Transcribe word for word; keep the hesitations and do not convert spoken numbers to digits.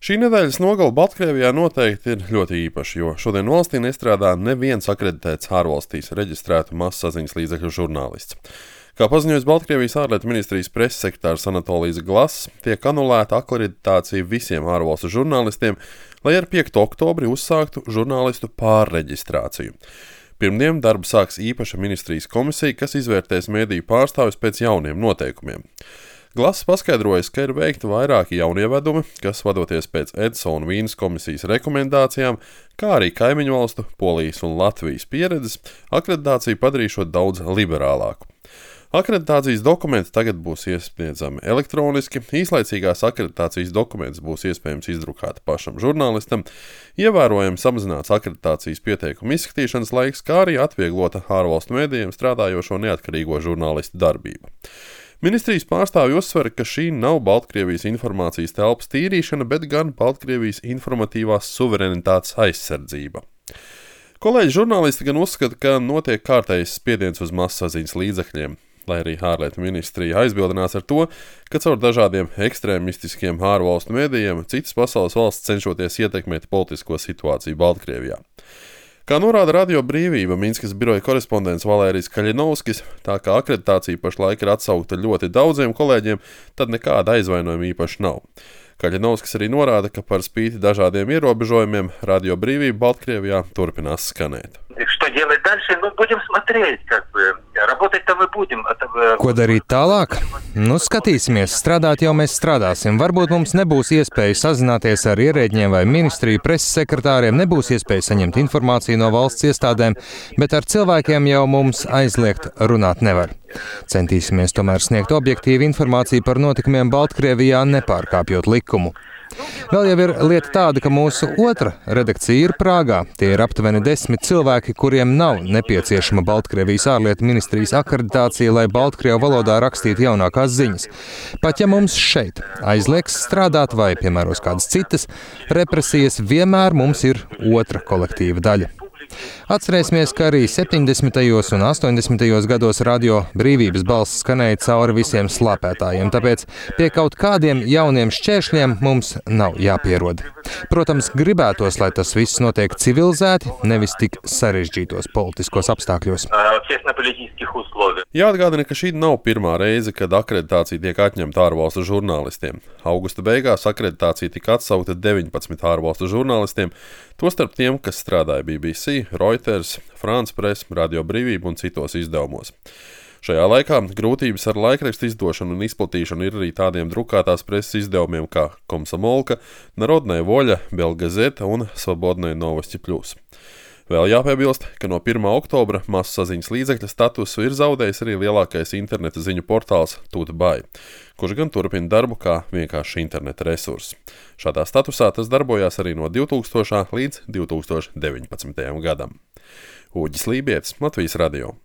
Šī nedēļas nogale Baltkrievijā noteikti ir ļoti īpaša, jo šodien valstī nestrādā neviens akreditēts ārvalstīs reģistrētu masasaziņas līdzekļu žurnālists. Kā paziņojas Baltkrievijas ārlietu ministrijas preses sekretārs Anatolijs Glass, tiek anulēta akreditācija visiem ārvalstu žurnālistiem, lai ar piekto oktobri uzsāktu žurnālistu pārreģistrāciju. Pirmdien darbu sāks īpaša ministrijas komisija, kas izvērtēs mediju pārstāvis pēc jauniem noteikumiem. Glass paskaidrojas, ka ir veikti vairāki jaunievedumi, kas vadoties pēc Edso un Vīnes komisijas rekomendācijām, kā arī kaimiņu valstu, Polijas un Latvijas pieredzes, akreditāciju padarīšot daudz liberālāku. Akreditācijas dokumenti tagad būs iesniedzami elektroniski, īslaicīgās akreditācijas dokumentus būs iespējams izdrukāt pašam žurnālistam, ievērojami samazināts akreditācijas pieteikumu izskatīšanas laiks, kā arī atvieglota ārvalstu medijiem strādājošo neatkarīgo žurnālistu darbība. Ministrijas pārstāvji uzsver, ka šī nav Baltkrievijas informācijas telpas tīrīšana, bet gan Baltkrievijas informatīvās suverenitātes aizsardzība. Kolēģi žurnālisti gan uzskata, ka notiek kārtējs spiediens uz masasaziņas līdzekļiem, lai arī ārlietu ministrija aizbildinās ar to, ka caur dažādiem ekstrēmistiskiem ārvalstu medijiem citas pasaules valsts cenšoties ietekmēt politisko situāciju Baltkrievijā. Kā norāda Radio Brīvība Minskas biroja korespondents Valērijs Kaļinovskis, tā kā akreditācija pašlaik ir atsaukta ļoti daudziem kolēģiem, tad nekāda aizvainojuma īpaši nav. Kaļinovskis arī norāda, ka par spīti dažādiem ierobežojumiem Radio Brīvība Baltkrievijā turpinās skanēt. Ko darīt tālāk? Nu, skatīsimies. Strādāt jau mēs strādāsim. Varbūt mums nebūs iespēja sazināties ar ierēģiem vai ministriju preses sekretāriem, nebūs iespēja saņemt informāciju no valsts iestādēm, bet ar cilvēkiem jau mums aizliegt runāt nevar. Centīsimies tomēr sniegt objektīvu informāciju par notikumiem Baltkrievijā, nepārkāpjot likumu. Vēl jau ir lieta tāda, ka mūsu otra redakcija ir Prāgā. Tie ir aptuveni desmit cilvēki, kuriem nav nepieciešama Baltkrievijas ārlietu ministrijas akreditācija, lai baltkrievu valodā rakstītu jaunākās ziņas. Pat ja mums šeit aizliegs strādāt vai piemēros kādas citas represijas, vienmēr mums ir otra kolektīva daļa. Atcerēsimies, ka arī septiņdesmitajos un astoņdesmitajos gados Radio Brīvības balss skanēja cauri visiem slāpētājiem, tāpēc pie kaut kādiem jauniem šķēršļiem mums nav jāpierod. Protams, gribētos, lai tas viss notiek civilizēti, nevis tik sarežģītos politiskos apstākļos. Jāatgādina, ka šī nav pirmā reize, kad akreditācija tiek atņemta ārvalstu žurnālistiem. Augusta beigās akreditācija tika atsaukta deviņpadsmit ārvalstu žurnālistiem, tostarp tiem, kas strādāja B B C, Reuters, France Press, Radio Brīvība un citos izdevumos. Šajā laikā grūtības ar laikrakstu izdošanu un izplatīšanu ir arī tādiem drukātās preses izdevumiem kā Komsomolka, Narodnaya Voļa, Belgazeta un Svobodnaya Novosti Plus. Vēl jāpiebilst, ka no pirmā oktobra masasaziņas līdzekļa statusu ir zaudējis arī lielākais interneta ziņu portāls Tutbai, kurš gan turpina darbu kā vienkārši interneta resurss. Šādā statusā tas darbojās arī no divtūkstošā līdz divtūkstoš deviņpadsmitajam gadam. Uģis Lībietis, Latvijas radio.